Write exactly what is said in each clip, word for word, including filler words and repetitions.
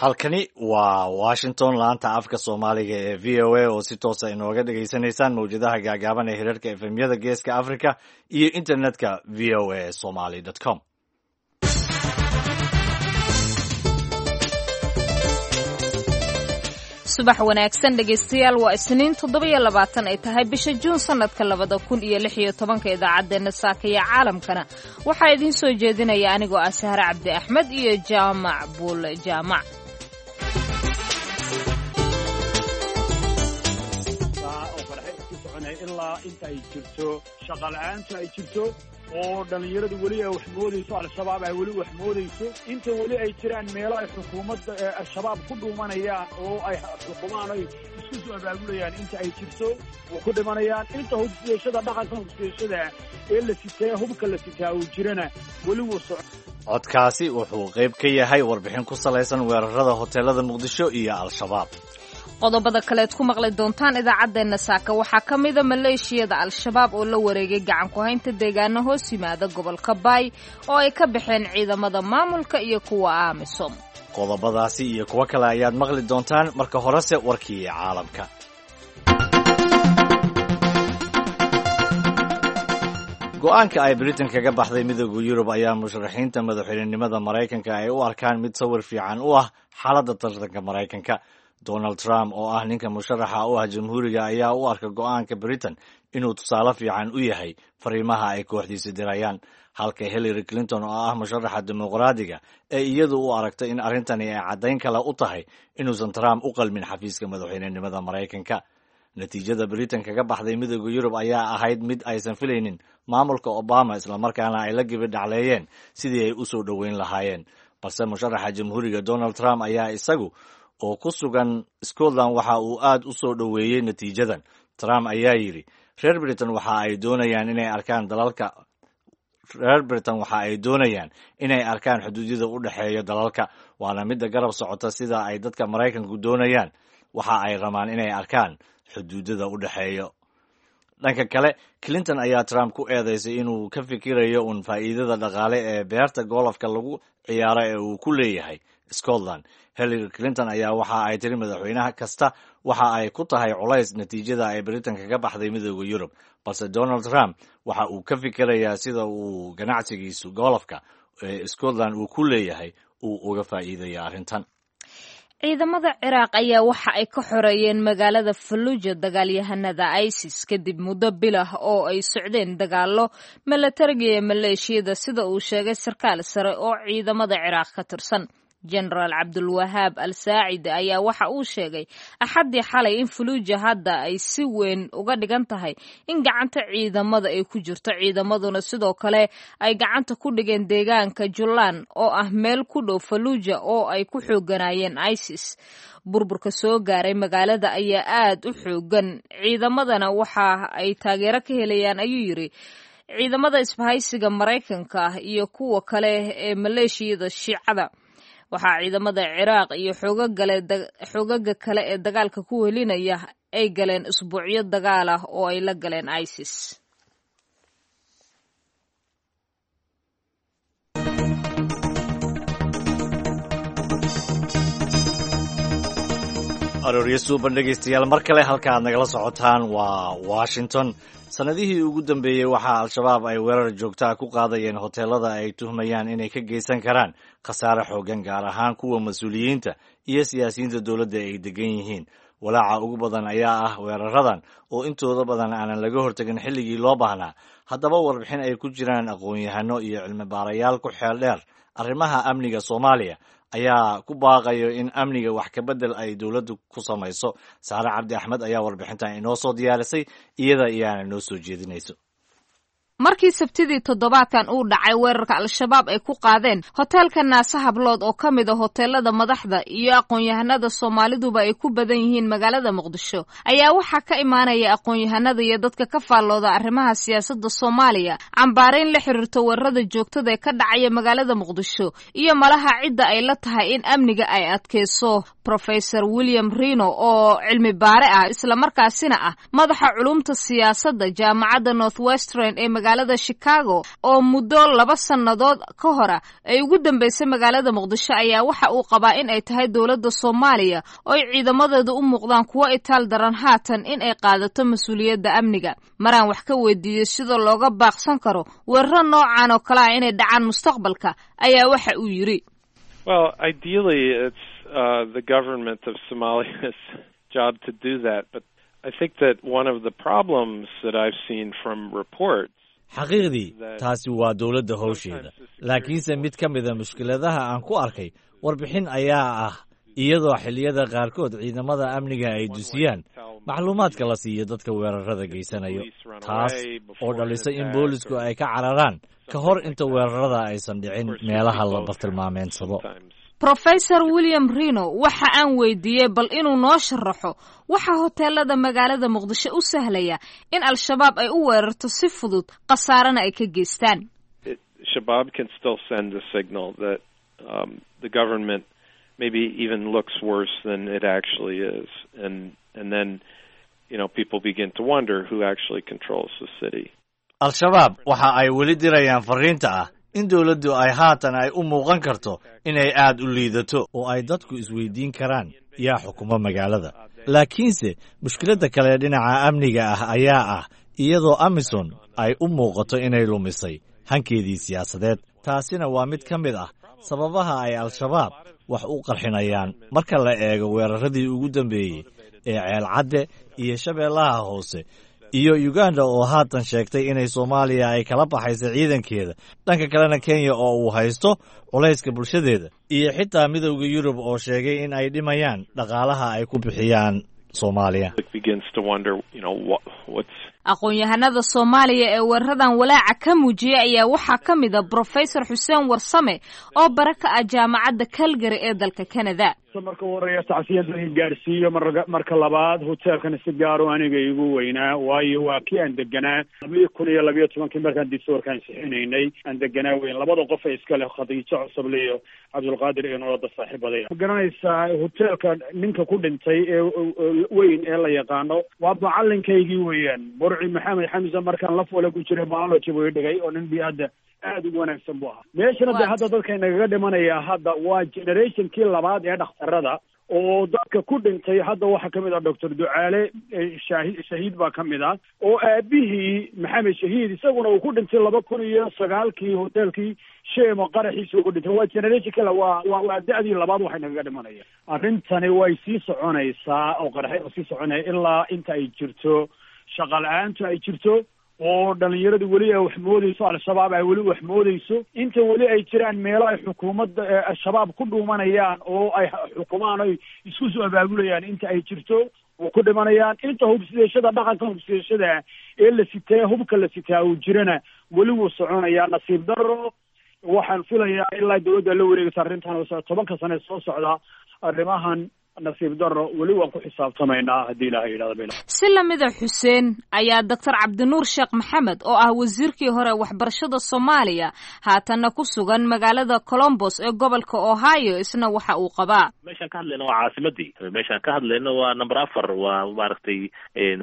Halkani waa Washington, laanta afka Soomaaliga ee V O A, oo si toosa inooga dhagaysanaysaan mawjadaha gaagaaban ee hirarka F M-yada Geeska Africa iyo internetka V O A Somali com. Subax wanaagsan, dhegaystayaal. Waa Isniin, toddobiyo labaatan ay tahay bisha Juun, sanadka labada kun iyo lix iyo tobanka. Idaacaddeenna saaka iyo caalamkana waxaa idiin soo jeedinaya anigoo ah Sahre Cabdi Axmed iyo Jaamac Buul Jaamac. Oo farxe isku soconaya ilaa inta ay jirto shaqala-aantu ay jirto, oo dhallinyaradu weli ay wax moodayso, Al-Shabaab ay weli wax moodayso, inta weli ay jiraan meelo ay xukuumadda Al-Shabaab ku dhuumanayaan oo ay xukumaan, ay isku soo abaabulayaan, inta ay jirto oo ku dhimanayaan, inta hubsiyashada dhaqanka hubsiyashada ee la sitaa, hubka la sitaa uu jirana, weli wuu soco. Codkaasi wuxuu qayb ka yahay warbixin ku salaysan weerarada hoteelada Muqdisho iyo Al-Shabaab. Qodobada kaleed ku maqli doontaan idaacaddeenna saaka waxaa ka mida maleeshiyada Al-Shabaab oo la wareegay gacan ku haynta deegaano hoos yimaada gobolka Baay oo ay ka baxeen ciidamada maamulka iyo kuwa AMISOM. Qodobadaasi iyo kuwo kale ayaad maqli doontaan. Marka horese warkii caalamka. Go-aanka ay Britain kaga baxday Midooda Yurub ayaa musharaxiinta madaxweynenimada Maraykanka ay u arkaan mid sawir fiican u ah xaaladda tartanka Maraykanka. Donald Trump, oo ah ninka musharaxa u ah Jamhuuriga, ayaa u arka go-aanka Britain inuu tusaale fiican u yahay fariimaha ay kooxdiisa dirayaan, halka Hillary Clinton, oo ah musharaxa Dimuqraadiga, ee iyadu u aragtay in arrintani ay caddayn kale u tahay inuusan Trump u qalmin xafiiska madaxweynenimada Maraykanka. Natiijada Britain kaga baxday Midooda Yurub ayaa ahayd mid aysan filaynin maamulka Obama, islamarkaana ay la gibi dhacleeyeen sidii ay u soo dhoweyn lahaayeen. Balse musharaxa Jamhuuriga Donald Trump ayaa isagu oo ku sugan Scotland waxa uu aad u soo dhoweeyey natiijadan. Trump ayaa yidhi, reer Britain waxa ay doonayaan inay arkaan dalalka reer Britain waxa ay doonayaan inay arkaan xuduudyada u dhexeeya dalalka, waana midda garab socota sida ay dadka Maraykanku doonayaan. Waxa ay rabaan inay arkaan xuduudada u dhexeeya. Dhanka kale, Clinton ayaa Trump ku eedeysay inuu ka fikirayo uun faa'iidada dhaqaale ee beerta golofka lagu ciyaaro ee uu ku leeyahay Scotland. Hillary Clinton ayaa waxa ay tiri, madaxweynaha kasta waxa ay ku tahay culays natiijada ay Britain kaga baxday Midooda Yurub, balse Donald Trump waxa uu ka fikirayaa sida uu ganacsigiisu golofka ee Scotland uu ku leeyahay uu uga faa'iidaya arrintan. Ciidamada Ciraaq ayaa waxa ay ka xoreeyeen magaalada Falluuja dagaalyahanada ISIS kadib muddo bilah oo ay socdeen dagaallo milatariga ee maleeshiyada, sida uu sheegay sarkaal sare oo ciidamada Ciraaq ka tirsan. Jenaraal Cabdulwahaab Al Saacidi ayaa waxa uu sheegay Axaddii xalay in Faluuja hadda ay si weyn uga dhigan tahay in gacanta ciidamada ay ku jirto, ciidamaduna sidoo kale ay gacanta ku dhigeen deegaanka Julaand, oo ah meel ku dhow Faluuja oo ay ku xooganaayeen ISIS. Burburka soo gaaray magaalada ayaa aad u xoogan, ciidamadana waxa ay taageero ka helayaan, ayuu yidhi, ciidamada isbahaysiga Maraykanka iyo kuwa kale ee maleeshiyada Shiicada. Waxaa ciidamada Ciraaq iyo xoogaga kale ee dagaalka ku welinaya ay galeen usbuucyo dagaal ah oo ay la galeen ISIS. Arooryo suuban, dhegaystayaal, mar kale. Halka aad nagala socotaan waa Washington. Sanadihii ugu dambeeyey waxaa Al-Shabaab ay weerar joogtaa ku qaadayeen hoteelada ay tuhmayaan inay ka geysan karaan khasaare xoogan, gaar ahaan kuwa mas-uuliyiinta iyo siyaasiyiinta dowladda ay degan yihiin. Walaaca ugu badan ayaa ah weeraradan oo intooda badan aanan laga hortegin xilligii loo baahnaa. Haddaba, warbixin ay ku jiraan aqoon-yahano iyo cilmi baarayaal ku xeel dheer arrimaha amniga Soomaaliya ayaa ku baaqayo in amniga wax ka bedel ay dowladdu ku samayso. Saare Cabdi Axmed ayaa warbixintan inoo soo diyaarisay, iyada iyaana noo soo jeedinayso. Markii Sabtidii toddobaadkan uu dhacay weerarka Al-Shabaab ay ku qaadeen hoteelka Naase Hablood, oo ka mid a hoteelada madaxda iyo aqoon-yahanada Soomaaliduba ay ku badan yihiin magaalada Muqdisho, ayaa waxaa ka imaanaya aqoon-yahanada iyo dadka ka faallooda arrimaha siyaasadda Soomaaliya cambaarayn la xiriirto weerarada joogtada ee ka dhacaya magaalada Muqdisho iyo malaha cidda ay la tahay in amniga ay adkeyso. Professor William Rino, oo cilmi baare ah islamarkaasina ah madaxa culumta siyaasadda jaamacadda Northwestern ee magaalada Chicago oo muddo laba sannadood ka hora ay ugu dambeysay magaalada Muqdisho ayaa waxa uu qabaa in ay tahay dowladda Soomaaliya oo ay ciidamadeedu u muuqdaan kuwo itaal daran haatan in ay qaadato mas-uuliyadda amniga. Maraan wax ka weydiiyey sida looga baaqsan karo weeraro noocan oo kale ah inay dhacaan mustaqbalka ayaa waxa uu yidhi: Well, ideally it's uh, the government of Somalia's job to do that, but I think that one of the problems that I've seen from reports Xaqiiqdii, taasi waa dowladda howsheeda, laakiinse mid ka mida mushkiladaha aan ku arkay warbixin ayaa ah iyadoo xilliyada qaarkood ciidamada amniga ay dusiyaan macluumaadka la siiyo dadka weerarada geysanayo, taas oo dhalisa in boolisku ay ka cararaan ka hor inta weerarada aysan dhicin meelaha la bartilmaameedsado. Professor William Rino waxa aan weydiiyey bal inuu noo sharaxo waxa hoteelada magaalada Muqdisho u sahlaya in Al-Shabaab ay u weerarto si fudud, khasaarana ay ka geystaan. Shabaab can still send a signal that um, the government maybe even looks worse than it actually is, and and then you know people begin to wonder who actually controls the city. Al-Shabaab waxa ay weli dirayaan fariinta ah in dowladdu ay haatan ay u muuqan karto inay aad u liidato oo ay dadku isweydiin karaan yaa xukuma magaalada. Laakiinse mushkiladda kale dhinaca amniga ah ayaa ah iyadoo AMISOM ay u muuqato inay lumisay hankeedii siyaasadeed, taasina waa mid ka mid ah sababaha ay Al-Shabaab wax u qarxinayaan. Marka la eego weeraradii ugu dambeeyey ee Ceelcadde iyo Shabeellaha Hoose iyo Uganda oo haatan sheegtay inay Soomaaliya ay kala baxayso ciidankeeda, dhanka kalena Kenya oo uu haysto culayska bulshadeeda, iyo xitaa Midowda Yurub oo sheegay in ay dhimayaan dhaqaalaha ay ku bixiyaan Soomaaliya. Aqoon-yahanada Soomaaliya ee weeraradan walaaca ka muujiyay ayaa waxaa ka mid a Professor Xuseen Warsame oo bara ka ah Jaamacadda Calgary ee dalka Canada. Marka horeeya tacsiyada gaarsiiyo, marka labaad hoteelkan si gaaro aniga igu weynaa, waayo waa kii aan deganaa labiyo kun iyo labiyo tobankii markaan distoorka ansixinaynay aan deganaa weyn. Labada qof ee iska leh, Khadiijo Cosoble iyo Cabdulqaadir iyo noloda saaxiibaday, ma garanaysaa, hoteelka ninka ku dhintay ee weyn ee la yaqaano waa macalinkaygii weeyaan, Burci Maxamed Xamse. Markaan la foole ku jiray biology buu dhigay oo nin bi-adda aada ugu wanaagsan buu ahaa. Meeshana de hadda dadka nagaga dhimanaya hadda waa generationkii labaad ee dhakhtarada oo dadka ku dhintay. Hadda waxaa kamid ah Doctor Ducaale Shahi Shahiid baa kamid ah, oo aabihii Maxamed Shahiid isaguna uu ku dhintay laba kun iyo sagaalkii hotelkii Shemo qaraxiisa uu ku dhintay. Waa generationkii, waa waa waa da-dii labaad waxay nagaga dhimanaya. Arrintani way sii soconaysaa oo qaraxyada sii soconaya ilaa inta ay jirto shaqa la-aantu ay jirto oo dhalinyaradu weli ay wax moodeyso, Al-Shabaab ay weli wax moodeyso, inta weli ay jiraan meelo ay xukuumadda Al-Shabaab ku dhuumanayaan oo ay xukumaan oy isku soo abaabulayaan, inta ay jirto oo ku dhimanayaan, inta hubsideeshada dhaqanka hubsideeshada ee la sitee hubka la sitaa uu jirana weli wuu soconayaa. Nasiib daro, waxaan filayaa ilaa dowladda la wareegaysa arrintan tobanka sane soo socda arrimahan, nasiib daro, weli waan ku xisaabtamaynaa haddii Ilahay yidhahdo bil. Si lamida Xuseen ayaa Doctor Cabdinuur Sheekh Maxamed oo ah wasiirkii hore waxbarashada Soomaaliya, haatanna ku sugan magaalada Columbus ee gobolka Ohio, isna waxa uu qabaa: Meeshaan ka hadlayno waa caasimadii, meeshaan ka hadlayno waa number afar, waa maaragtay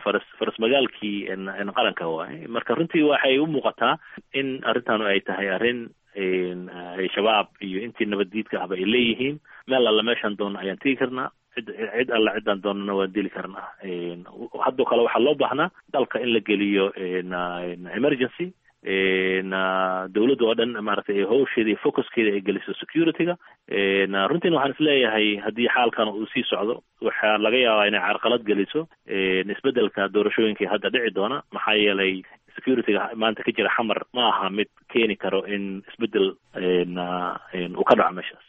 faras faras magaalkii qaranka waay. Marka runtii waxay u muuqataa in arrintaanu ay tahay arrin ay Shabaab iyo intii nabaddiidka ahba ay leeyihiin: meel alla meeshaan doonno ayaan tegi karnaa, cid cid alla ciddaan doonana waan dili karnaa. Haddoo kale waxaa loo baahnaa dalka in la geliyo emergency, dawladda oo dhan maaragtay hawsheeda iyo focuskeeda ay geliso security-ga. Runtiina waxaan isleeyahay haddii xaalkan uu sii socdo waxaa laga yaabaa inay carqalad geliso isbeddelka doorashooyinkai hadda dhici doona, maxaa yeelay security-ga maanta ka jira Xamar ma aha mid keeni karo in isbeddel uu ka dhaco meeshaas.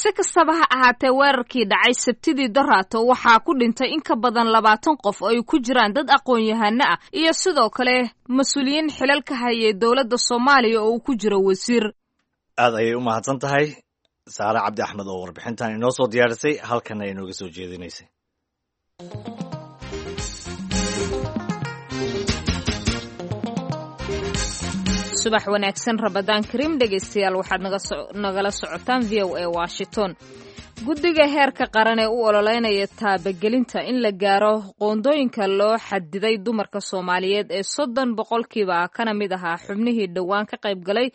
Si kastaba ha ahaatee, weerarkii dhacay Sabtidii daraato waxaa ku dhintay in ka badan labaatan qof oo ay ku jiraan dad aqoon-yahano ah iyo sidoo kale mas-uuliyiin xilal ka hayay dowladda Soomaaliya oo uu ku jiro wasiir. Aad ayay u mahadsan tahay Saare Cabdi Axmed oo warbixintan inoo soo diyaarisay, halkana inooga soo jeedinaysay. Subax wanaagsan, Ramadaan kariim dhegaystayaal, waxaad nagala socotaan V O A Washington. Guddiga heerka qaran ee u ololeynaya taabagelinta in la gaaro qoondooyinka loo xadiday dumarka Soomaaliyeed ee soddon boqolkiiba kana mid ahaa xubnihii dhowaan ka qayb galay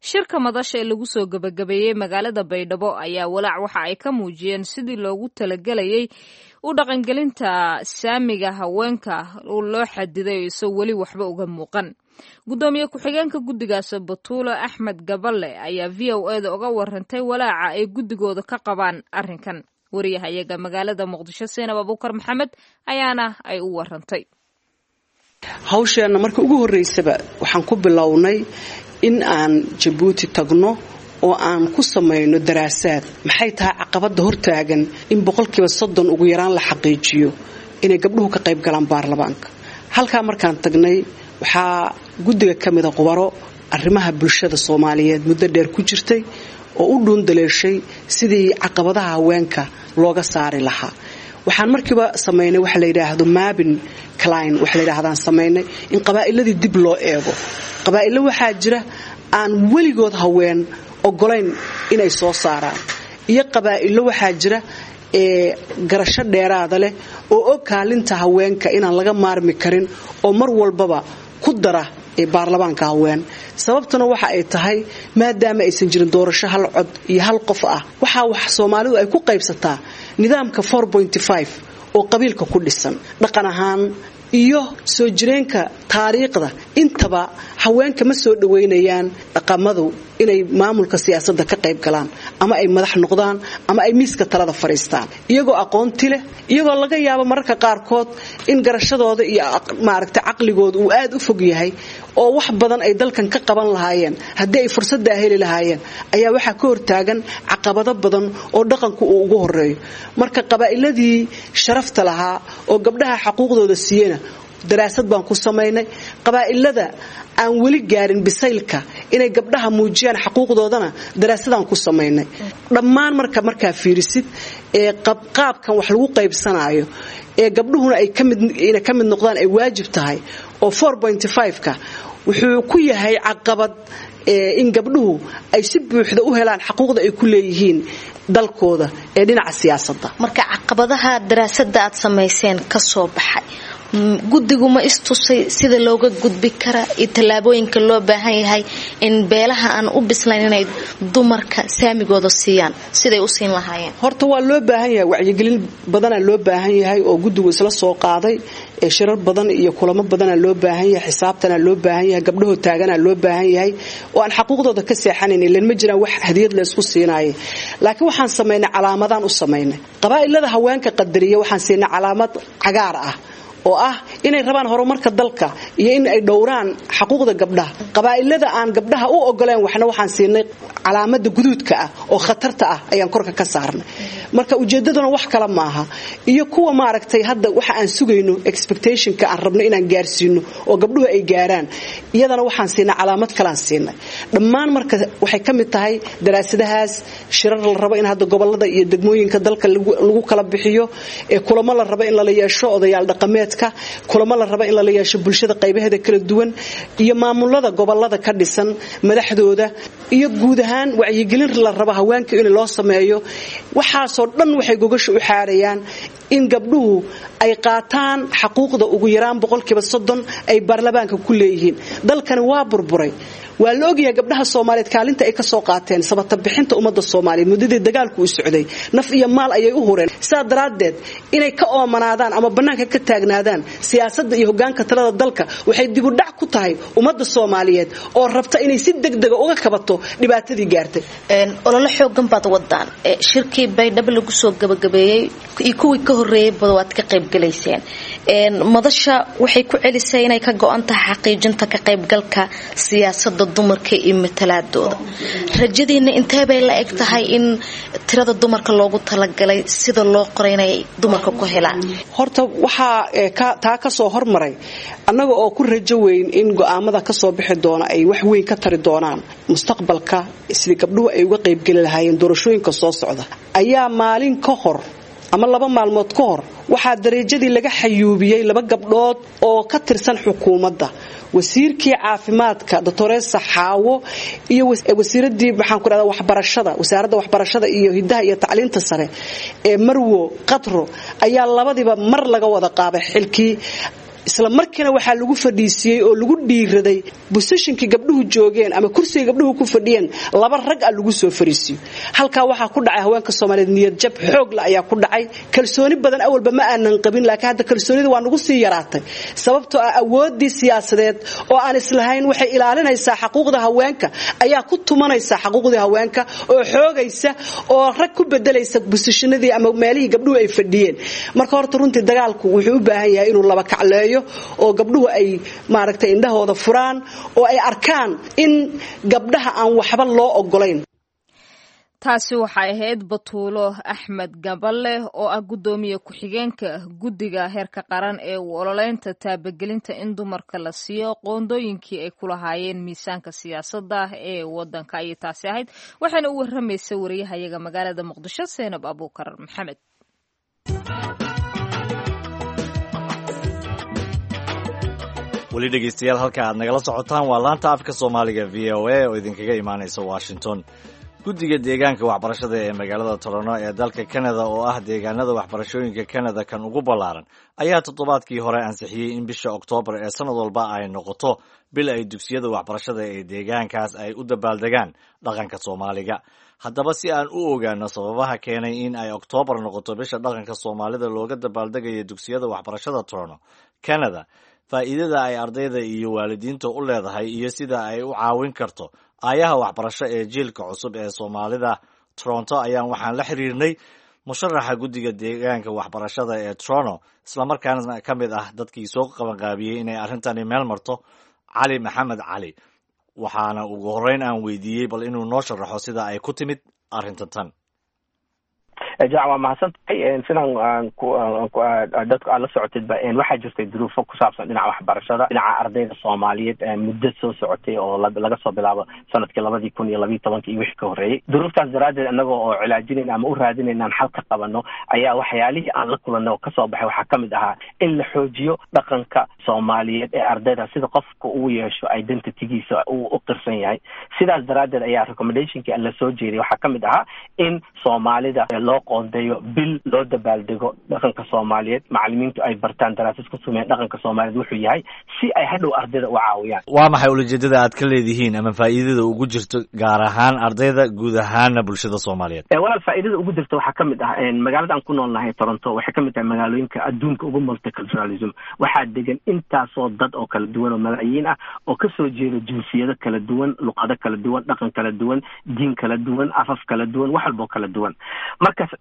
shirka madasha ee lagu soo gebagabeeyey magaalada Baydhabo ayaa walaac waxa ay ka muujiyeen sidii loogu talagelayay u dhaqangelinta saamiga haweenka loo xadiday isoo weli waxba uga muuqan. Gudoomiye ku-xigeenka guddigaas Batuulo Axmed Gaballe ayaa V O A da uga warantay walaaca ay guddigooda ka qabaan arrinkan. Wariyahayaga magaalada Muqdisho Seenab Abuukar Maxamed ayaana ay u warantay. Hawsheenna marka ugu horreysaba waxaan ku bilownay in aan Jabuuti tagno oo aan ku samayno daraasaad. Maxay tahay caqabadda hortaagan in boqolkiiba soddon ugu yaraan la xaqiijiyo inay gabdhuhu ka qayb galaan baarlamaanka? Halkaa markaan tagnay waxaa guddiga ka mida khubaro arrimaha bulshada Soomaaliyeed muddo dheer ku jirtay oo u dhuundaleeshay sidii caqabadaha haweenka looga saari lahaa. Waxaan markiiba samaynay waxa la yidhaahdo mapping cline, waxa la yidhaahdaan samaynay in qabaa'iladii dib loo eego. Qabaa'ilo waxaa jira aan weligood haween ogolayn inay soo saaraan, iyo qabaa'ilo waxaa jira ee garasho dheeraada leh oo og kaalinta haweenka inaan laga maarmi karin oo mar walbaba ku dara ee baarlamaanka haween. Sababtuna waxa ay tahay maadaama aysan jirin doorasho hal cod iyo hal qof ah, waxaa wax Soomaalidu ay ku qaybsataa nidaamka four point five oo qabiilka ku dhisan dhaqan ahaan iyo soo jireenka taariikhda. Intaba haweenka ma soo dhaweynayaan dhaqamadu inay maamulka siyaasadda ka qayb galaan ama ay madax noqdaan ama ay miiska talada fariistaan, iyagoo aqoonti leh, iyagoo laga yaabo mararka qaarkood in garashadooda iyo maaragtay caqligooda uu aad u fog yahay oo wax badan ay dalkan ka qaban lahaayeen haddii ay fursaddaa heli lahaayeen, ayaa waxaa ka hortaagan caqabado badan oo dhaqanku uu ugu horeeyo. Marka qabaa'iladii sharafta lahaa oo gabdhaha xaquuqdooda siiyena daraasad baan ku samaynay. Qabaa'ilada aan weli gaarin bisaylka inay gabdhaha muujiyaan xaquuqdoodana daraasadaan ku samaynay. Dhammaan marka markaa fiirisid ee qabqaabkan wax lagu qaybsanaayo ee gabdhuhuna ay kamid inay ka mid noqdaan ay waajib tahay oo four point five ka wuxuu ku yahay caqabad in gabdhuhu ay si buuxda u helaan xaquuqda ay ku leeyihiin dalkooda ee dhinaca siyaasadda. Marka caqabadaha daraasadda aad samayseen ka soo baxay, guddigu ma istusay sida looga gudbi kara iyo tallaabooyinka loo baahan yahay in beelaha aan u bislayn inay dumarka saamigooda siiyaan siday u siin lahaayeen? Horta waa loo baahan yahay, wacyigelin badanaa loo baahan yahay oo guddigu isla soo qaaday, ee shirar badan iyo kulamo badanaa loo baahan yahay, xisaabtanaa loo baahan yahay, gabdhahoo taaganaa loo baahan yahay oo aan xaquuqdooda ka seexanayn, ileen ma jiraan wax hadiyad laysku siinaayay. Laakiin waxaan samaynay calaamadaan u samaynay qabaa'ilada haweenka qadariya, waxaan siinay calaamad cagaar ah oo ah inay rabaan horumarka dalka iyo in ay dhowraan xaquuqda gabdhaha. Qabaa'ilada aan gabdhaha u ogoleen waxna waxaan siinay calaamada guduudka ah oo khatarta ah ayaan korka ka saarnay. Marka ujeedaduna wax kale maaha, iyo kuwa maaragtay hadda waxa aan sugayno expectationka aan rabno inaan gaarsiino oo gabdhuhu ay gaaraan, iyadana waxaan siinay calaamad kalaan siinay. Dhammaan marka waxay ka mid tahay daraasadahaas shirar la rabo in hadda gobolada iyo degmooyinka dalka lagu kala bixiyo, ee kulamo la rabo in lala yeesho odayaal dhaqameed, kulamo la rabo in lala yeesho bulshada qaybaheeda kala duwan iyo maamulada gobolada ka dhisan madaxdooda, iyo guud ahaan wacyigelin la rabo haweenka in loo sameeyo. Waxaasoo dhan waxay gogasha u xaarayaan in gabdhuhu ay qaataan xaquuqda ugu yaraan boqolkiiba soddon ay baarlamaanka ku leeyihiin. Dalkani waa burburay, waa la ogyahay gabdhaha Soomaaliyeed kaalinta ay ka soo qaateen sabata bixinta ummadda Soomaaliyeed muddadii dagaalku u socday, naf iyo maal ayay u hureen. Sidaa daraaddeed inay ka oomanaadaan ama bannaanka ka taagnaadaan siyaasadda iyo hoggaanka talada dalka waxay dib u dhac ku tahay ummadda Soomaaliyeed oo rabta inay si degdega uga kabato dhibaatadii gaartay. Olole xoogan baad wadaan, shirkii Baydhabo lagu soo gabagabeeyey iyo kuwii ka horreeyay bada waad ka qayb galayseen. Madasha waxay ku celisay inay ka go'an tahay xaqiijinta ka qaybgalka siyaasadda dumarka iyo matalaadooda. Rajadiina intee bay la eg tahay in tirada dumarka loogu talagalay sida loo qoray inay dumarka ku helaan? Horta waxaa taa ka soo hormaray annaga oo ku rajo weyn in go'aamada ka soo bixi doona ay wax weyn ka tari doonaan mustaqbalka sidii gabdhuhu ay uga qaybgeli lahaayeen doorashooyinka soo socda, ayaa maalin ka hor ama laba maalmood ka hor waxaa darajadii laga xayuubiyey laba gabdhood oo ka tirsan xukuumadda. Wasiirkii caafimaadka doctoresa Xaawo iyo wasiiradii maxaan ku dhahdaa waxbarashada, wasaaradda waxbarashada iyo hidaha iyo tacliinta sare ee Marwo Qatro ayaa labadiiba mar laga wada qaaday xilkii. Isla markiina waxaa lagu fadhiisiyey oo lagu dhiiraday bosishinkii gabdhuhu joogeen ama kursiga gabdhuhu ku fadhiyeen laba rag ah lagu soo fariisiyo. Halkaa waxaa ku dhacay haweenka Soomaaliyeed niyad jab xoog la ayaa ku dhacay. Kalsooni badan awalba ma aanan qabin, laakiin hadda kalsoonida waa nagu sii yaraatay, sababtoo ah awooddii siyaasadeed oo aan islahayn waxay ilaalinaysaa xaquuqda haweenka ayaa ku tumanaysa xaquuqdii haweenka oo xoogaysa oo rag ku bedelaysa bosishinadii ama meelihii gabdhuhu ay fadhiyeen. Marka horta runtii dagaalku wuxuu u baahan yahay inuu laba kacleeyo oo gabdhuhu ay maaragtay indhahooda furaan oo ay arkaan in gabdhaha aan waxba loo ogolayn. Taasi waxay ahayd Batuulo Axmed Gaballe oo ah guddoomiye ku-xigeenka guddiga heerka qaran ee u ololeynta taabagelinta in dumarka la siiyo qoondooyinkii ay ku lahaayeen miisaanka siyaasadda ee waddanka ayay taasi ahayd, waxaana u warramaysa wariyahayaga magaalada Muqdisho Seenab Abuukar Maxamed. Weli dhegeystayaal, halka aad nagala socotaan waa laanta afka Soomaaliga V O A oo idinkaga imaanaysa Washington. Guddiga deegaanka waxbarashada ee magaalada Toronto ee dalka Canada oo ah deegaanada waxbarashooyinka Canada kan ugu ballaaran ayaa toddobaadkii hore ansixiyey in bisha Oktoobar ee sanad walba ay noqoto bil ay dugsiyada waxbarashada ee deegaankaas ay u dabaaldegaan dhaqanka Soomaaliga. Haddaba si aan u ogaano sababaha keenay in ay Oktoobar noqoto bisha dhaqanka Soomaalida looga dabaaldegayo dugsiyada waxbarashada Toronto, Canada, faa'iidada ay ardayda iyo waalidiinta u leedahay iyo sida ay u caawin karto aayaha waxbarasho ee jiilka cusub ee Soomaalida Toronto, ayaan waxaan la xiriirnay musharaxa guddiga deegaanka waxbarashada ee Toronto, islamarkaana ka mid ah dadkii soo qabanqaabiyey inay arrintani meel marto, Cali Maxamed Cali. Waxaana ugu horreyn aan weydiiyey bal inuu noo sharaxo sida ay ku timid arrintan tan. Jac, waa mahadsan tahay. Sidaan dadku aad la socotidba, waxaa jirtay duruufo ku saabsan dhinaca waxbarashada, dhinaca ardayda Soomaaliyeed muddo soo socotay oo laga soo bilaabo sanadkii labadii kun iyo labiyi tobankii iyo wixii ka horreeyey. Duruuftaas daraaddeed annaga oo cilaajinayn ama u raadinayn aan xal ka qabano ayaa waxyaalihii aan la kulanay oo kasoo baxay waxaa kamid ahaa in la xoojiyo dhaqanka Soomaaliyeed ee ardayda, sida qofka uu yeesho identitygiisa uu u qirsan yahay. Sidaas daraaddeed ayaa recommendationkii la soo jeeday waxaa kamid ahaa in Soomaalida loo qoondeeyo bil loo dabaaldego dhaqanka Soomaaliyeed, macalimiintu ay bartaan, daraasad ku sameeyaan dhaqanka Soomaaliyeed wuxuu yahay, si ay hadhow ardayda u caawiyaan. Waa maxay ulajeedada aad ka leedihiin ama faa'iidada ugu jirto gaar ahaan ardayda, guud ahaana bulshada Soomaaliyeed? Walaal, faa'iidada ugu jirta waxaa kamid ah magaalada aan ku noolnahay Toronto waxay kamid tahay magaalooyinka adduunka ugu multiculturalism. Waxaa degan intaasoo dad oo kala duwan oo malaayiin ah oo kasoo jeeda jinsiyado kala duwan, luqado kala duwan, dhaqan kala duwan, diin kala duwan, afaf kala duwan, wax walboo kala duwan. Markaas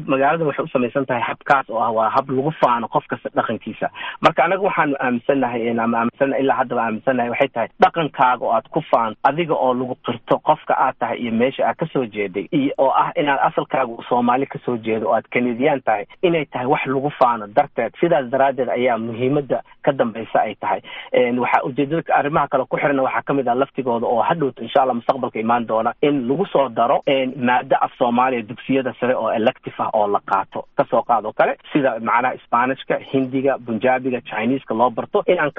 magaalada waxay u samaysan tahay habkaas oo ah waa hab lagu faano qof kasta dhaqankiisa. Marka anaga waxaanu aaminsannahay ama aaminsannahay ilaa haddaba aaminsannahay waxay tahay dhaqankaaga oo aad ku faanto, adiga oo lagu qirto qofka aad tahay iyo meesha aad kasoo jeeday, iyo oo ah inaad asalkaaga Soomaali kasoo jeedo oo aad Kanadiyaan tahay, inay tahay wax lagu faano darteed. Sidaas daraaddeed ayaa muhiimadda ka dambaysa ay tahay. Waxaa ujeedada arrimaha kale ku xirna waxaa kamid ah laftigooda oo hadhowta insha Allah mustaqbalka imaan doona in lagu soo daro maado af Soomaaliya dugsiyada sare oo elective ah oo la qaato, kasoo qaado kale sida macnaha Isbaanishka, Hindiga, Bunjaabiga, Chineska loo barto, in aan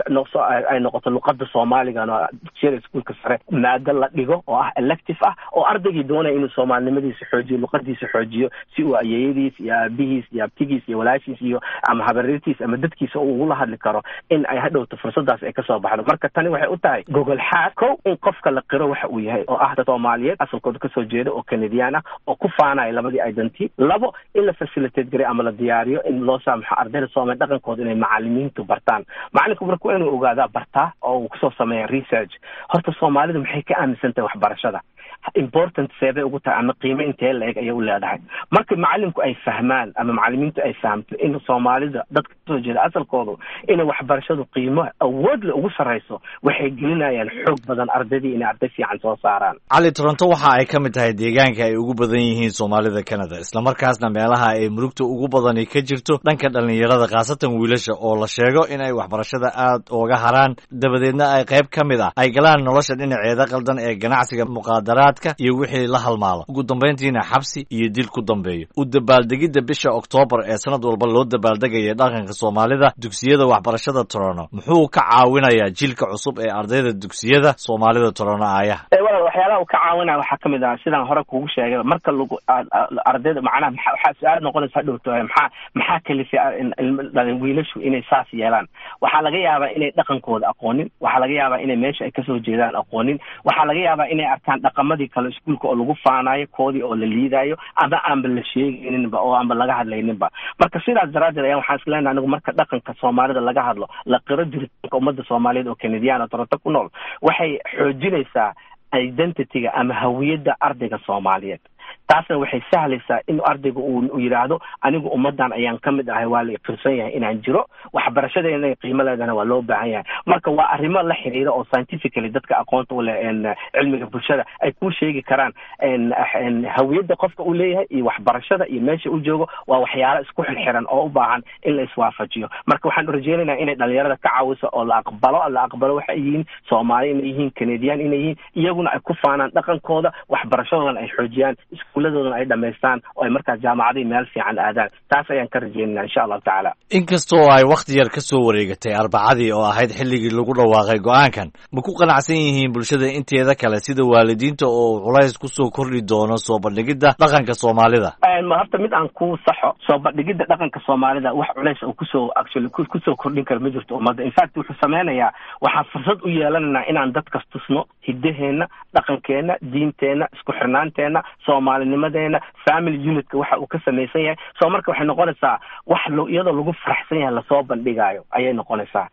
ay noqoto luqada Soomaaligana dugsiyada iskuulka sare maado la dhigo oo ah elective ah, oo ardaygii doonaya inuu soomaalinimadiisa xoojiyo, luqadiisa xoojiyo, si uu ayeeyadiis iyo aabihiis iyo abtigiis iyo walaashiis iyo ama habareertiis ama dadkiisa uu ugula hadli karo, in ay hadhowto fursadaas ay kasoo baxdo. Marka tani waxay u tahay gogol xaad kow in qofka la qiro waxa uu yahay oo ah dad Soomaaliyeed asalkooda kasoo jeeda oo Kanadiyaan ah oo ku faanaya labadii identity. Labo, in la facilitate garay ama la diyaariyo in loo saamaxo ardayda Soomaaliya dhaqankooda inay macalimiintu bartaan. Macalinku marka waa inuu ogaadaa, bartaa oo uu kusoo sameeya research horta Soomaalidu maxay ka aaminsan tahay waxbarashada, important seebay ugu tahay ama qiimo intee la-eg ayay u leedahay. Marka macalinku ay fahmaan ama macalimiintu ay fahamto in Soomaalida dadka kasoo jeeda asalkoodu inay waxbarashadu qiimo awood le ugu sarreyso, waxay gelinayaan xoog badan ardaydii inay arday fiican soo saaraan. Cali, Toronto waxa ay ka mid tahay deegaanka ay ugu badan yihiin Soomaalida Canada, islamarkaasna meelaha ay murugta ugu badani ka jirto dhanka dhallinyarada, khaasatan wiilasha oo la sheego in ay waxbarashada aad ooga haraan, dabadeedna ay qayb ka mid ah ay galaan nolosha dhinaceeda qaldan ee ganacsiga muqaadaraadka mukhadaraadka iyo wixii la halmaala, ugu dambayntiina xabsi iyo dil ku dambeeyo. U dabaaldegidda bisha Oktoobar ee sanad walba loo dabaaldegaya dhaqanka Soomaalida dugsiyada waxbarashada Toronto muxuu ka caawinayaa jiilka cusub ee ardayda dugsiyada Soomaalida Toronto aayaha? Walaal, waxyaalaha uu ka caawinaya waxaa kamid ah, sidaan hore kuugu sheegay, marka lagu ardayda macnaha waxaa su-aal noqonaysa hadhowto, maxaa maxaa kalifay dhalin wiilashu inay saas yeelaan? Waxaa laga yaabaa inay dhaqankooda aqoonin, waxaa laga yaabaa inay meesha ay kasoo jeedaan aqoonin, waxaa laga yaabaa inay arkaan dhaqamadii kale iskuulka oo lagu faanayo, koodii oo la liidayo ama aanba la sheegayninba oo aanba laga hadlayninba. Marka sidaas daraaddeed ayaan waxaan islenahay anigu, marka dhaqanka Soomaalida laga hadlo, la qiro jiritaanka ummadda Soomaaliyeed oo Kanadiyaan oo Toronto ku nool, waxay xoojinaysaa identityga ama hawiyadda ardayga Soomaaliyeed. Taasna waxay sahlaysaa in ardayga uu yidhaahdo, anigu ummaddan ayaan ka mid ahay, waa la iqirsan yahay inaan jiro, waxbarashada inay qiimo leedahana waa loo baahan yahay. Marka waa arrimo la xiriira oo scientifically dadka aqoonta u leh cilmiga bulshada ay kuu sheegi karaan. Hawiyadda qofka uu leeyahay iyo waxbarashada iyo meesha uu joogo waa waxyaalo isku xirxiran oo u baahan in la iswaafajiyo. Marka waxaan rajeynaynaa inay dhalinyarada ka caawiso oo la aqbalo la aqbalo waxay yihiin, Soomaali inay yihiin, Kanadiyaan inay yihiin, iyaguna ay ku faanaan dhaqankooda, waxbarashadoodana ay xoojiyaan, iskuuladoodana ay dhamaystaan oo ay markaas jaamacadihii meel fiican aadaan. Taas ayaan ka rajeynayna insha Allahu tacaala. Inkastoo ay wakhti yar ka soo wareegatay Arbacadii oo ahayd xilligii lagu dhawaaqay go-aankan, ma ku qanacsan yihiin bulshada inteeda kale, sida waalidiinta, oo culays kusoo kordhi doono soo bandhigidda dhaqanka Soomaalida? Horta mid aan ku saxo, soo bandhigidda dhaqanka Soomaalida wax culays oo kusoo actually kusoo kordhin kara ma jirto ummadda. In fact, wuxuu sameynayaa, waxaan fursad u yeelanaynaa inaan dadkas tusno hiddaheenna, dhaqankeenna, diinteenna, isku xirnaanteenna, Soomaalinimadeena, family unitka waxa uu ka samaysan yahay. So marka waxay noqonaysaa wax iyadoo lagu faraxsan yahay lasoo bandhigaayo ayay noqonaysaa.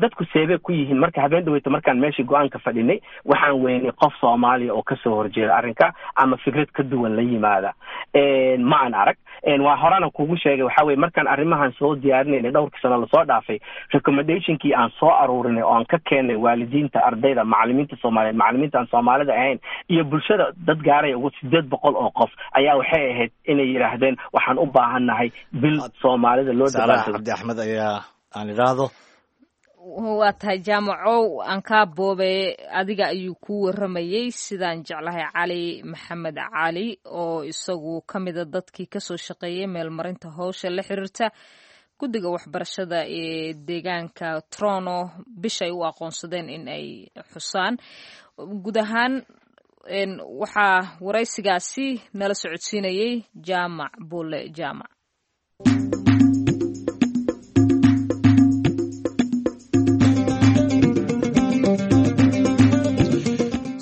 Dadku seebay ku yihiin? Marka habeen dhaweyta markaan meeshii go-aanka fadhinay, waxaan weynay qof Soomaaliya oo kasoo horjeeda arrinka ama fikrad ka duwan la yimaada, ma aan arag. Waa horena kugu sheegay, waxa weye markaan arrimahan soo diyaarinayna dhowrkii sano lasoo dhaafay, recommendationkii aan soo aruurinay oo aan ka keenay waalidiinta, ardayda, macalimiinta Soomaaliyeed, macalimiinta aan Soomaalida ahayn iyo bulshada, dad gaaraya ugu sideed boqol oo qof ayaa waxay ahayd inay yidhaahdeen waxaan u baahannahay bil Soomaalida loo Saalax Cabdi Axmed ayaa aan idhaahdo. Waa tahay Jaamacow, aan kaa boobe, adiga ayuu ku waramayey sidaan jeclahay Cali Maxamed Cali oo isagu ka mida dadkii kasoo shaqeeyay meelmarinta howsha la xiriirta guddiga waxbarashada ee deegaanka Toronto bishay u aqoonsadeen in ay xusaan guud ahaan. Waxaa waraysigaasi nala socodsiinayay Jaamac Bulle Jaamac.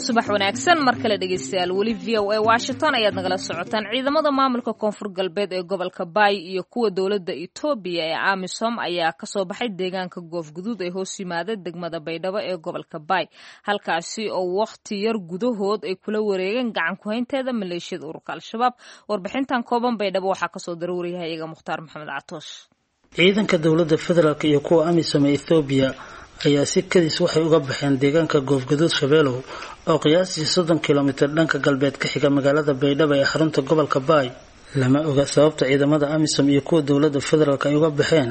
Subax wanaagsan mar kale dhegeystayaal, weli V O A Washington ayaad nagala socotaan. Ciidamada maamulka Koonfur Galbeed ee gobolka Baay iyo kuwa dowladda Etoobiya ee AMISOM ayaa kasoo baxay deegaanka Goofguduud ee hoos yimaada degmada Baydhabo ee gobolka Baay, halkaasi oo wakhti yar gudahood ay kula wareegeen gacan ku-haynteeda maleeshiyada ururka Al-Shabaab. Warbixintan kooban Baydhabo waxaa kasoo daruuriyahay iyaga Mukhtaar Maxamed Catoosh. Ciidanka dowladda federaalk iyo kuwa AMISOM ee Ethoobiya ayaa si kadis waxay uga baxeen deegaanka Goofgaduud Shabeelow oo qiyaastii soddon kilomitir dhanka galbeed ka xiga magaalada Baydhabo ee xarunta gobolka Baay. Lama oga sababta ciidamada AMISOM iyo kuwa dowladda federaalk ay uga baxeen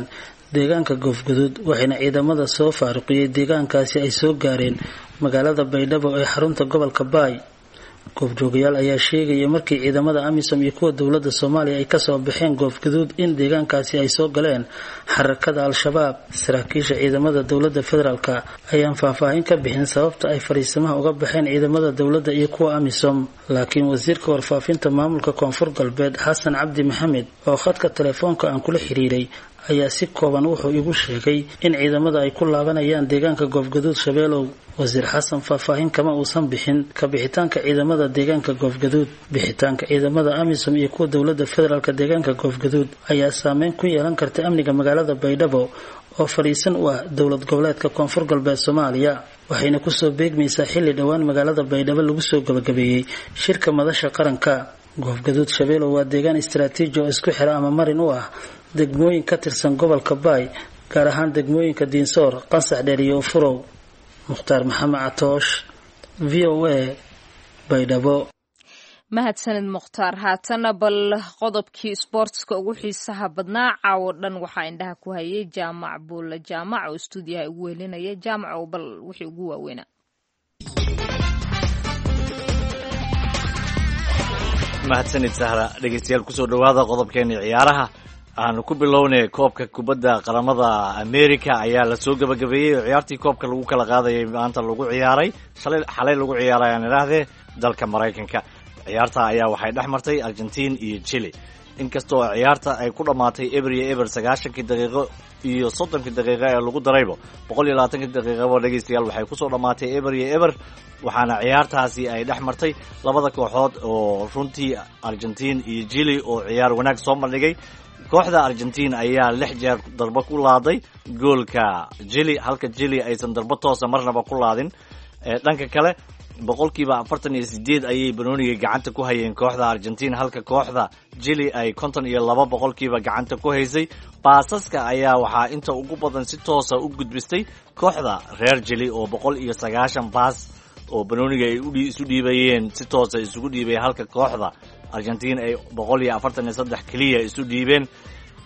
deegaanka Goofgaduud, waxayna ciidamada soo faaruqiyey deegaankaasi ay soo gaareen magaalada Baydhabo ee xarunta gobolka Baay. Goobjoogayaal ayaa sheegaya markii ciidamada AMISOM iyo kuwa dowladda Soomaaliya ay kasoo baxeen Goofgaduud in deegaankaasi ay soo galeen xarakada Al-Shabaab. Saraakiisha ciidamada dowladda federaalka ayaan faahfaahin ka bixin sababta ay fariisimaha uga baxeen ciidamada dowladda iyo kuwa AMISOM, laakiin wasiirka warfaafinta maamulka Koonfur Galbeed Xasan Cabdi Maxamed oo khadka telefoonka aan kula xiriiray ayaa si kooban wuxuu igu sheegay in ciidamada ay ku laabanayaan deegaanka Goofgaduud Shabeelow. Wasiir Xasan faahfaahin kama uusan bixin ka bixitaanka ciidamada deegaanka Goofgaduud. Bixitaanka ciidamada AMISOM iyo kuwa dowladda federaalka deegaanka Goofgaduud ayaa saameyn ku yeelan karta amniga magaalada Baydhabo oo fadhiisan u ah dowlad goboleedka Koonfur Galbeed Soomaaliya, waxayna kusoo beegmaysaa xilli dhowaan magaalada Baydhabo lagu soo gabagabeeyey shirka madasha qaranka. Goofgaduud Shabeelow waa deegaan istaraatiiji oo isku xira ama marin u ah degmooyin ka tirsan gobolka Baay, gaar ahaan degmooyinka Diinsoor, Qansax Dheer iyo Ufurow. Mukhtaar Maxamed Catoosh, V O A, Baydhabo. Mahadsanid Mukhtaar. Haatana bal qodobkii sboortska ugu xiisaha badnaa caawo dhan waxaa indhaha ku hayay Jaamac Buulle Jaamac oo istuudiyaha ugu welinaya. Jaamac oo bal wixii ugu waaweynaa. Mahadsanid Sahra. Dhegeystayaal, kusoo dhowaada qodobkeena ciyaaraha. Aanu ku bilownay koobka kubadda qaramada America ayaa lasoo gabagabeeyey oo ciyaartii koobka lagu kala qaadayay maanta lagu ciyaaray, shalay, xalay lagu ciyaaray aan idhaahdee, dalka Maraykanka. Ciyaarta ayaa waxay dhex martay Argentine iyo Chile. Inkastoo ciyaarta ay ku dhammaatay eber iyo eber sagaashankii daqiiqo iyo soddonkii daqiiqo ee lagu daraybo, boqol iyo labaatankii daqiiqaba, dhegeystayaal, waxay kusoo dhammaatay eber iyo eber. Waxaana ciyaartaasi ay dhex martay labada kooxood oo runtii Argentine iyo Chile oo ciyaar wanaag soo bandhigay. Kooxda Argentine ayaa lix jeer darbo ku laaday goolka Chile, halka Chile aysan darbo toosa marnaba ku laadin. Dhanka kale, boqolkiiba afartan iyo sideed ayay banooniga gacanta ku hayeen kooxda Argentine, halka kooxda Chile ay konton iyo laba boqolkiiba gacanta ku haysay. Baasaska ayaa waxaa inta ugu badan si toosa u gudbistay kooxda reer Chile oo boqol iyo sagaashan baas oo banooniga ay isu dhiibayeen si toosa isugu dhiibay, halka kooxda Argentine ay boqol iyo afartan iyo saddex keliya isu dhiibeen.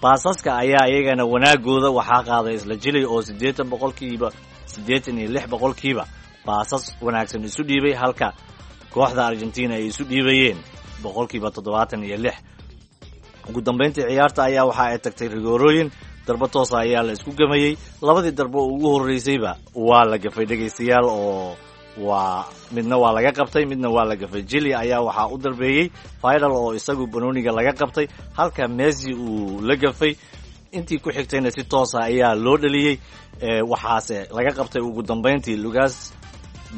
Baasaska ayaa iyagana wanaagooda waxaa qaaday isla Chile oo siddeetan boqolkiiba, siddeetan iyo lix boqolkiiba baasas wanaagsan isu dhiibay, halka kooxda Argentina ay isu dhiibayeen boqolkiiba toddobaatan iyo lix. Ugu dambeyntii ciyaarta ayaa waxa ay tagtay rigoorooyin. Darbo toosa ayaa la isku gamayey. Labadii darbo ugu horreysayba waa la gafay, dhegaystayaal, oo waa midna waa laga qabtay, midna waa la gafay. Chile ayaa waxaa u darbeeyey Vidal oo isagu banooniga laga qabtay, halka Messi uu la gafay. Intii ku xigtayna si toosa ayaa loo dhaliyey, waxaase laga qabtay ugu dambeyntii Lucas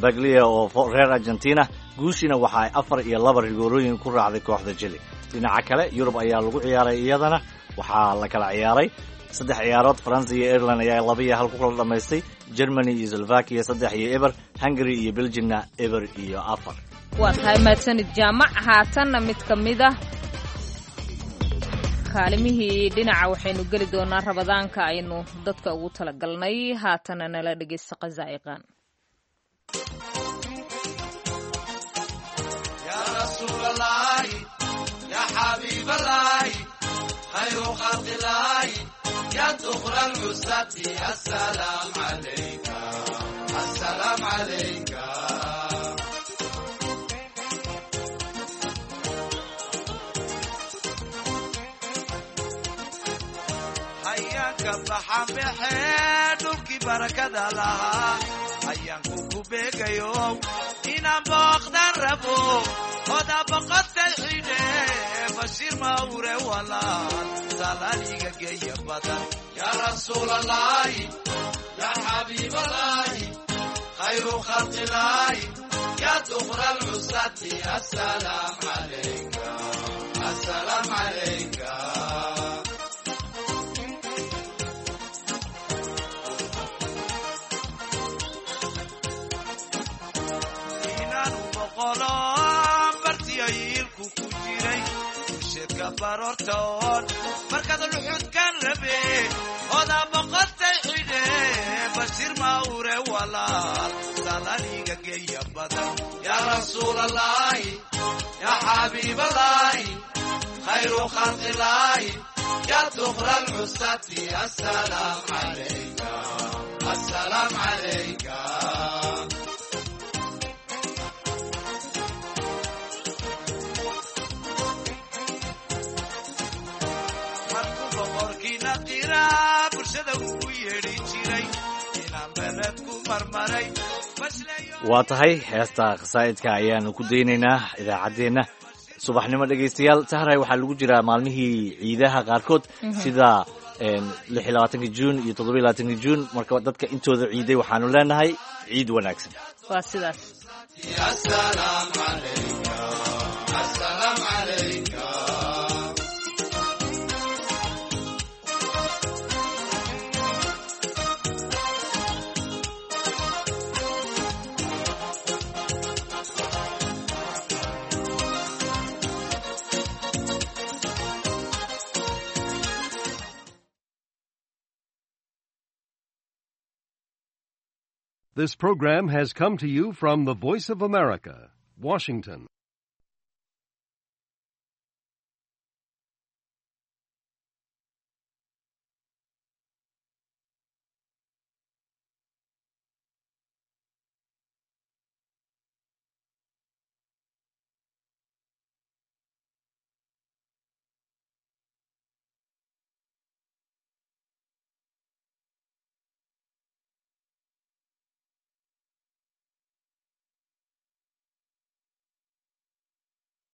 Biglia oo reer Argentina. Guushiina waxa ay afar iyo laba rigoorooyin ku raacday kooxda Chile. Dhinaca kale, Yurub ayaa lagu ciyaaray, iyadana waxaa la kala ciyaaray saddex ciyaarood. France iyo Ireland ayaa laba iyo hal ku kala dhamaystay, Germany iyo Slovakia saddex iyo eber, Hungary iyo Belgiumna eber iyo afar. Waa tahay, mahadsanid Jaamac. Haatanna mid ka mid ah kaalimihii dhinaca waxaynu geli doonaa Ramadaanka aynu dadka ugu talagalnay. Haatana nala dhegeysta qasaa'iqan. Dhulkii barakada lahaa ayaanku ku beegayo inaan booqdan rabo oda boqotay xidhe Bashiir Mawre walaal salaaliga geeya badan. Yaa Rasuulalaahi, yaa Xabiibalaahi, khayru khalqilaahi, yaa duqra alcusati, asalaam calayka, asalaam calayka. Bartiyailku ku jiray sheedka baroortoon markaad luxudkan rabe oda boqotay xidhe Bashiir Mawre walaal salaaliga geeya badan. Yaa Rasuulalaahi, yaa Xabiibalaahi, khayru khalqilaahi, yaa duqra alcusati, asalaam calayka, asalaam calayka. Waa tahay, heesta khasaa'idka ayaanu ku daynaynaa idaacaddeenna subaxnimo. Dhegaystayaal, Sahray, waxaa lagu jiraa maalmihii ciidaha qaarkood sida lix iyo labaatanka Juun iyo toddoba iyo labaatanka Juun. Marka dadka intooda ciiday waxaanu leenahay ciid wanaagsan. Waa sidaas. This program has come to you from the Voice of America, Washington.